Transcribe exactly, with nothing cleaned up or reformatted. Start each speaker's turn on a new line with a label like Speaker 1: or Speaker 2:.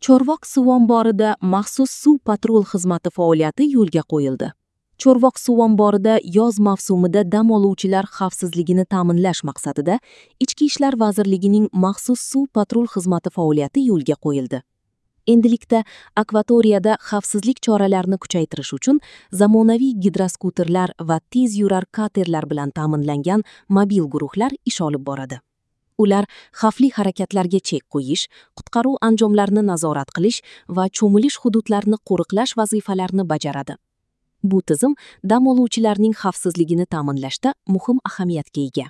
Speaker 1: Chorvoq suv omborida maxsus suv patrul xizmati faoliyati yo'lga qo'yildi. Chorvoq suv omborida yoz mavsumida dam oluvchilar xavfsizligini ta'minlash maqsadida Ichki ishlar vazirligining maxsus suv patrul xizmati faoliyati yo'lga qo'yildi. Endilikda akvatoriyada xavfsizlik choralarini kuchaytirish uchun zamonaviy gidroskuterlar va tez yurar katerlar bilan ta'minlangan mobil guruhlar ish olib boradi. Ular xavfli harakatlarga chek qo'yish, qutqaruv anjomlarini nazorat qilish va cho'milish hududlarini qo'riqlash vazifalarini bajaradi. Bu tizim dam oluvchilarning xavfsizligini ta'minlashda muhim ahamiyatga ega.